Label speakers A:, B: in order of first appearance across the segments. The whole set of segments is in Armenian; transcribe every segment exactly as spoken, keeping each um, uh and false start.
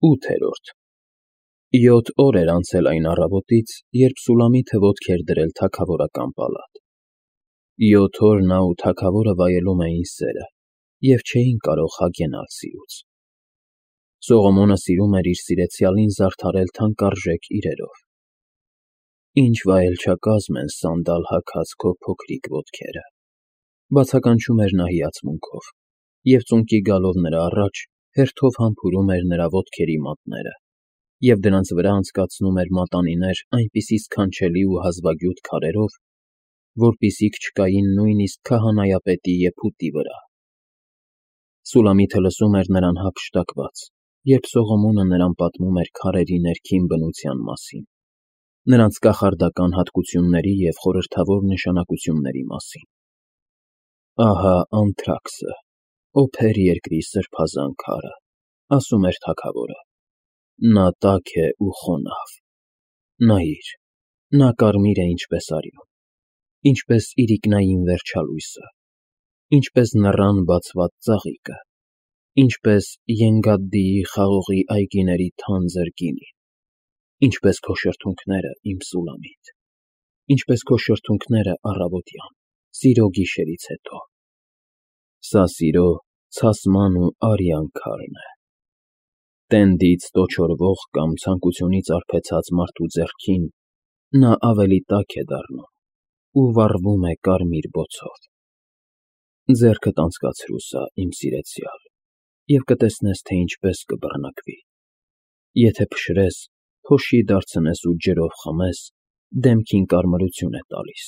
A: ՈՒԹԵՐՈՐԴ Յոթ օր էր անցել այն առավոտից, երբ Սուլամիթը ոտք էր դրել թագավորական պալատ. յոթ օր նա ու թագավորը վայելում էին սերը և չէին կարող հագենալ սիրուց. Սողոմոնը սիրում էր իր սիրեցյալին զարդարել թանկարժեք իրերով. Ինչ վայելչակազմ են սանդալ հագած քո փոքրիկ ոտքերը, բացականչում էր նա հիացմունքով, և ծունկի գալով նրա առաջ հերթով համբուրում էր նրա ոտքերի մատները և դրանց վրա անցկացնում էր մատանիներ այնպիսի սքանչելի ու հազվագյուտ քարերով, որպիսիք չկային նույնիսկ քահանայապետի եփուտի վրա։ Սուլամիթը լսում էր նրան հափշտակված, երբ Սողոմոնը նրան պատմում էր քարերի ներքին բնության մասին, նրանց կախարդական հատկությունների և խորհրդավոր նշանակությունների մասին։ Ահա Անթրաքսը, օփեր երկրի սրբազան քարը, ասում էր թագավորը, նա տաք է ու խոնավ, նայիր, նա կարմիր է ինչպես արյուն, ինչպես իրիկնային վերջալույսը, ինչպես նռան բացված ծաղիկը, ինչպես Ենգադդիի խաղողի այգիների թանձր գինին, ինչպես քո շրթունքները, իմ Սուլամիթ, ինչպես քո շրթունքները առավոտյան, սիրո գիշերից հետո։ Սա սիրո, ցասման ու արյան քարն է։ Տենդից տոչորվող կամ ցանկությունից արբեցած մարդու ձեռքին նա ավելի տաք է դառնում ու վառվում է կարմիր բոցով։ Ձեռքդ անցկացրու սա, իմ սիրեցյալ, և կտեսնես, թե ինչպես կբռնկվի։ Եթե փշրես, փոշի դարձնես ու ջրով խմես, դեմքին կարմրություն է տալիս,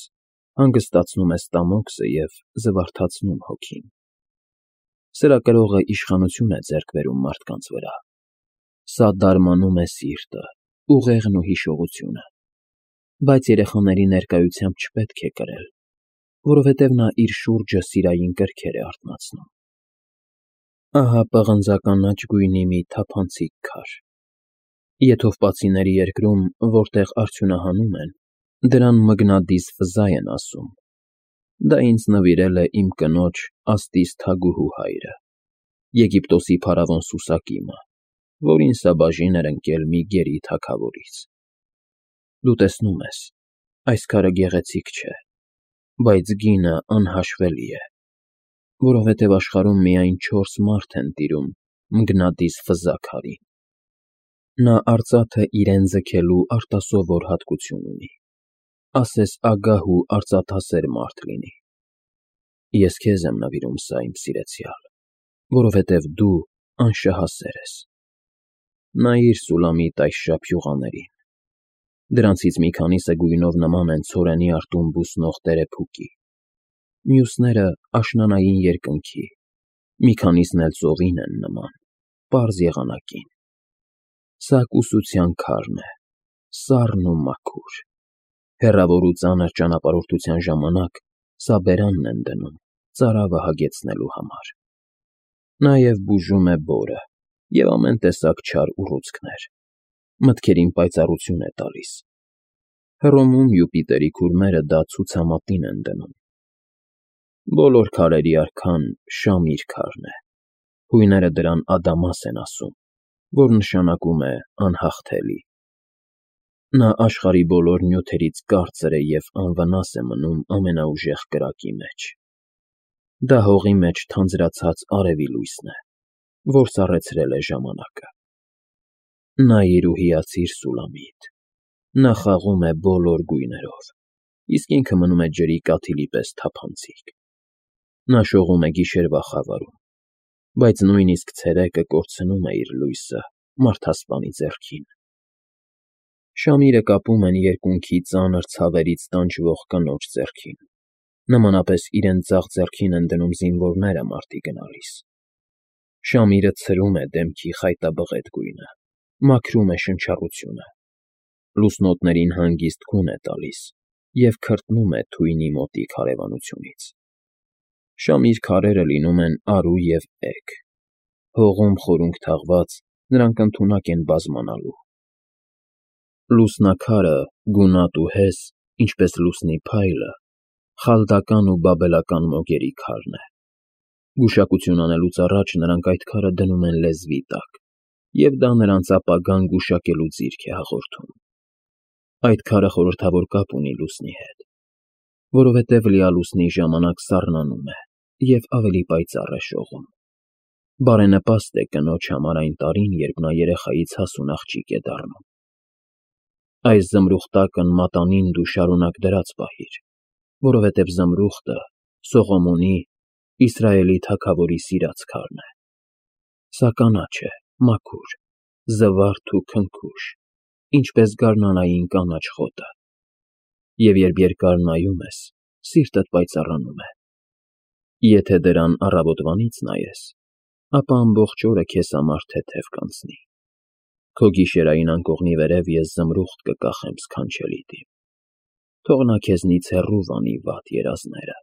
A: հանգստացնում է ստամոքսը և զվարթացնում հոգին։ Սրա կրողը իշխանություն է ձեռք բերում մարդկանց վրա։ Սա դարմանում է սիրտը, ուղեղն ու հիշողությունը, բայց երեխաների ներկայությամբ չպետք է կրել, որովհետև նա իր շուրջը սիրային կրքեր է արթնացնում։ Ահա պղնձականաչ գույնի մի թափանցիկ քար։ Եթովպացիների երկրում, որտեղ արդյունահանում են, դրան մգնադիս ֆզա են ասում։ Դա ինձ նվիրել է իմ կնոջ Աստիս թագուհու հայրը, Եգիպտոսի փարավոն Սուսակիմը, որին սա բաժին էր ընկել մի գերի թագավորից։ Դու տեսնում ես, այս քարը գեղեցիկ չէ, բայց գինը անհաշվելի է, որովհետև աշխարհում միայն չորս մարդ են տիրում մգնադիս ֆզա քարին։ Նա արծաթը իրեն ձգելու արտասովոր հատկություն ունի, ասես ագահ ու արծաթասեր մարդ լինի։ Ես քեզ եմ նվիրում սա, իմ սիրեցյալ, որովհետև դու անշահասեր ես։ Նայիր, Սուլամիտ, այս շափյուղաներին։ Դրանցից մի քանիսը գույնով նման են ցորենի արտում բուսնող տերեփուկի, մյուսները աշնանային երկնքի, մի քանիսն էլ ծովին են նման, պարզ եղանակին։ Սա կուսության քարն է, սառն ու մաքուր։ Հեռավոր ու ծանր ճանապարհորդության ժամանակ սա բերանն են դնում ծարավը հագեցնելու համար։ Նաև բուժում է բորը և ամեն տեսակ չար ուռուցքներ, մտքերին պայծառություն է տալիս։ Հռոմում Յուպիտերի քուրմերը դա ցուցամատին են դնում։ Բոլոր քարերի արքան Շամիր քարն է, հույները դրան Ադամաս են ասում, որ նշանակում է անհաղթելի։ Նա աշխարհի բոլոր նյութերից կարծր է և անվնաս է մնում ամենաուժեղ կրակի մեջ։ Դա հողի մեջ թանձրացած արևի լույսն է, որ սառեցրել է ժամանակը։ Նայիր ու հիացիր, Սուլամիտ, նա խաղում է բոլոր գույներով, իսկ ինքը մնում է ջրի կաթիլի պես թափանցիկ։ Նա շողում է գիշերվա խավարում, բայց նույնիսկ ցերեկը կորցնում է իր լույսը մարդասպանի ձեռքին։ Շամիրը կապում են երկունքի ծանր ցավերից տանջվող կնոջ ձեռքին, նմանապես իրենց ձախ ձեռքին են դնում զինվորները մարտի գնալիս։ Շամիրը ցրում է դեմքի խայտաբղետ գույնը, մաքրում է շնչառությունը, լուսնոտներին հանգիստ քուն է տալիս և քրտնում է թույնի մոտիկ հարևանությունից։ Շամիր քարերը լինում են արու և էգ, հողում խորունգ թաղված, նրանք ընդունակ են բազմանալու։ Լուսնաքարը, գունատ ու հես, ինչպես լուսնի փայլը, խալդական ու բաբելական մոգերի քարն է։ Գուշակություն անելուց առաջ նրանք այդ քարը դնում են լեզվի տակ և դա նրանց ապագան գուշակելու ձիրք է հաղորդում։ Այդ քարը խորհրդավոր կապ ունի լուսնի հետ, որովհետև լիալուսնի ժամանակ սառնանում է և ավելի պայծառ է շողում։ Բարենպաստ է կնոջ համար այն տարին, երբ նա երեխայից հասուն աղջիկ է դառնում։ Այս զմրուխտակն մատանին դու շարունակ դրած պահիր, որովհետև զմրուխտը Սողոմոնի, Իսրայելի թագավորի սիրած քարն է։ Սա կանաչ է, մաքուր, զվարթ ու քնքուշ, ինչպես գարնանային կանաչ խոտը, և երբ երկար նայում ես, սիրտդ պայծառանում է։ Եթե դրան առավոտվանից նայես, ապա ամբողջ օրը քեզ համար թեթև կանցնի։ Քո գիշերային անկողնի վերև ես զմրուխտ կկախեմ սքանչելիդ իմ, թող նա քեզնից հեռու վանի վատ երազները,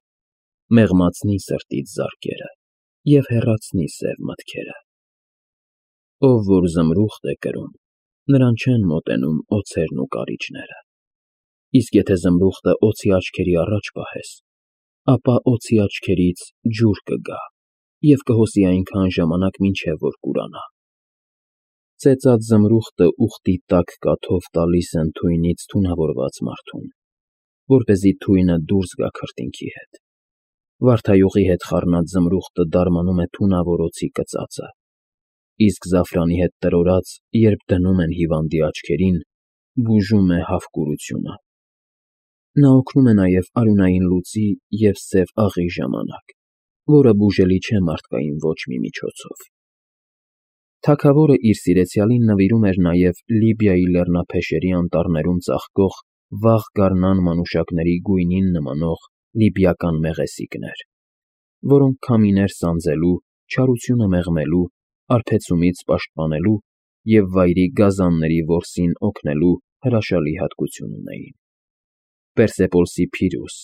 A: մեղմացնի սրտիդ զարկերը և հեռացնի սև մտքերը։ Ով որ զմրուխտ է կրում, նրան չեն մոտենում օձերն ու կարիճները, իսկ եթե զմրուխտը օձի աչքերի առաջ պահես, ապա օձի աչքերից ջուր կգա և կհոսի այնքան ժամանակ, մինչև որ կուրանա։ Ծեծած զմրուխտը ուղտի տաք կաթով տալիս են թույնից թունավորված մարդուն, որպեսզի թույնը դուրս գա քրտինքի հետ։ Վարդայուղի հետ խառնած զմրուխտը դարմանում է թունավոր օձի կծածը, իսկ զաֆրանի հետ տրորած, երբ դնում են հիվանդի աչքերին, բուժում է հավկուրությունը։ Նա օգնում է նաև արյունային լուծի և սև աղի ժամանակ, որը բուժելի չէ մարդկային ոչ մի միջոցով։ Թագավորը իր սիրեցյալին նվիրում էր նաև Լիբիայի լեռնափեշերի անտառներում ծաղկող վաղ գարնան մանուշակների գույնին նմանող լիբիական մեղեսիկներ, որոնք քամիներ սանձելու, չարությունը մեղմելու, արբեցումից պաշտպանելու և վայրի գազանների որսին օգնելու հրաշալի հատկություն ունեին։ Պերսեպոլսի Փիրուս,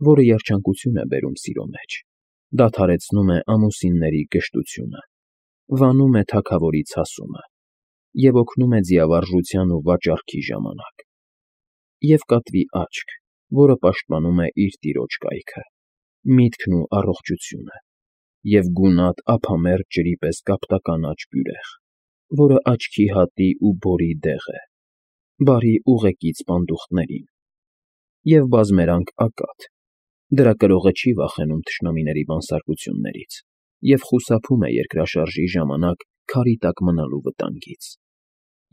A: որը երջանկություն է բերում սիրո մեջ, դադարեցնում է ամուսինների գժտությունը, վանում է թագավորի ցասումը և օգնում է ձիավարժության ու վաճառքի ժամանակ։ Եվ կատվի աչք, որը պաշտպանում է իր տիրոջ կայքը, միտքն ու առողջությունը, և գունատ ափամերձ ջրի պես կապտականաչ բյուրեղ, որը աչքի հատի ու բորի դեղ է, բարի ուղեկից պանդուխտներին, և բազմերանգ ակադ, դրա կրողը չի վախենում թշնամիների բանսարկություններից և խուսափում է երկրաշարժի ժամանակ քարի տակ մնալու վտանգից,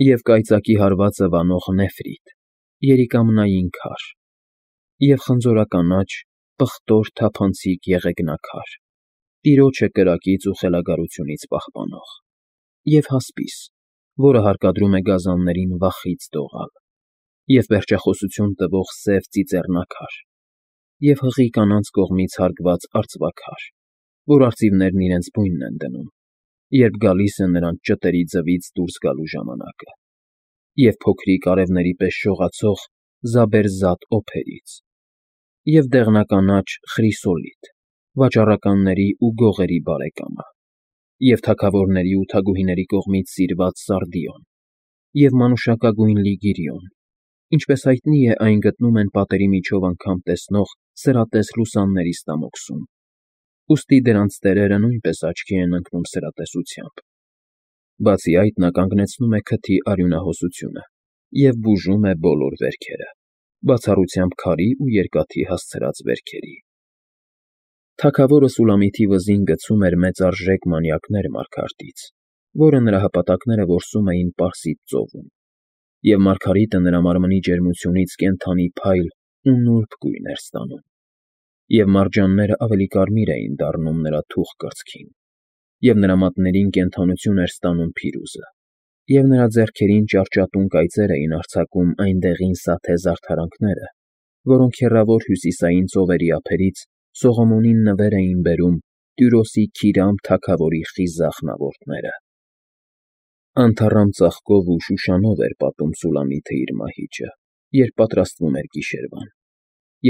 A: և կայծակի հարվածը վանող նեֆրիտ, երիկամնային քար, և խնձորականաչ, պղտոր թափանցիկ եղեգնաքար, տիրոջը կրակից ու խելագարությունից պահպանող, և հասպիս, որը հարկադրում է գազաններին վախից դողալ, և պերճախոսություն տվող սև ծիծեռնակար, և հղի կանանց կողմից հարգված արծվաքար, որ արծիվներն իրենց բույնն են դնում, երբ գալիս է նրանց ճտերի ձվից դուրս գալու ժամանակը, և փոքրիկ արևների պես շողացող զաբերձատ օփերից, և դեղնականաչ խրիսոլիթ, վաճառականների ու գողերի բարեկամը, և թագավորների ու թագուհիների կողմից սիրված սարդիոն, և մանուշակագույն լիգիրիոն, ինչպես հայտնի է, այն գտնում են պատերի միջով անգամ տեսնող սրատես լուսանների ստամոքսում, ուստի դրանց տերերը նույնպես աչքի են ընկնում սրատեսությամբ։ Բացի այդ, նա կանգնեցնում է քթի արյունահոսությունը և բուժում է բոլոր վերքերը, բացառությամբ քարի ու երկաթի հասցրած վերքերի։ Թագավորը Սուլամիթի վզին գցում էր մեծարժեք մանյակներ մարգարտից, որը նրա հպատակները որսում էին Պարսից ծովում, և մարգարիտը նրա մարմնի ջերմությունից կենդանի փայլ ու նուրբ գույն էր ստանում, և մարջանները ավելի կարմիր էին դառնում նրա թուխ կրծքին, և նրա մատներին կենդանություն էր ստանում Փիրուզը, և նրա ձեռքերին ճարճատուն կայծեր էին արձակում այն դեղին սաթե զարդարանքները, որոնք հեռավոր հյուսիսային ծովերի ափերից Սողոմոնին նվեր էին բերում Տյուրոսի Քիրամ թագավորի խիզախ նավորդները։ Անթառամ ծաղկով ու շուշանով էր պատում Սուլամիթը իր մահիճը, երբ պատրաստվում էր գիշերվան,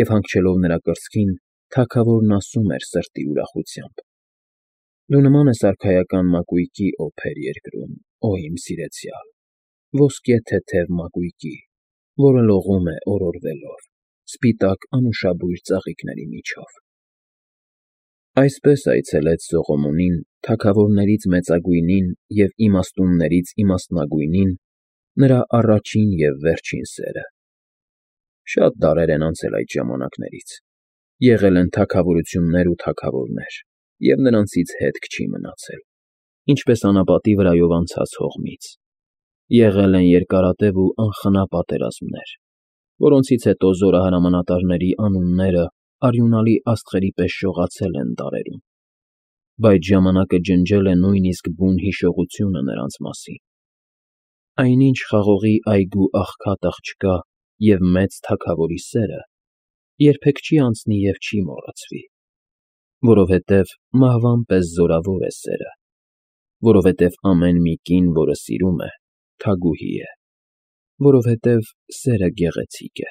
A: և հանգչելով նրա կրծքին, թագավորն ասում էր սրտի ուրախությամբ. «Դու նման ես արքայական մակույկի, օփեր երկրում, օ իմ սիրեցյալ, ոսկե թեթև մակույկի, որը լողում է օրորվելով, սպիտակ անուշաբույր ծաղիկների միջով»։ Այսպես այցելեց Սողոմոնին Թագավորներից մեծագույնին և իմաստուններից իմաստնագույնին նրա առաջին և վերջին սերը։ Շատ դարեր են անցել այդ ժամանակներից, եղել են թագավորություններ ու թագավորներ, և նրանցից հետք չի մնացել, ինչպես անապատի վրայով անցած հողմից, եղել են երկարատև ու անխնա պատերազմներ, որոնցից հետո զորահրամանատարների անունները արյունալի աստղերի պես շողացել են դարերում, բայց ժամանակը ջնջել է նույնիսկ բուն հիշողությունը նրանց մասին։ Այնինչ խաղողի այգու աղքատ աղջկա և մեծ թագավորի սերը երբեք չի անցնի և չի մոռացվի, որովհետև մահվան պես զորավոր է սերը, որովհետև ամեն մի կին, որը սիրում է, թագուհի է, որովհետև սերը գեղեցիկ է։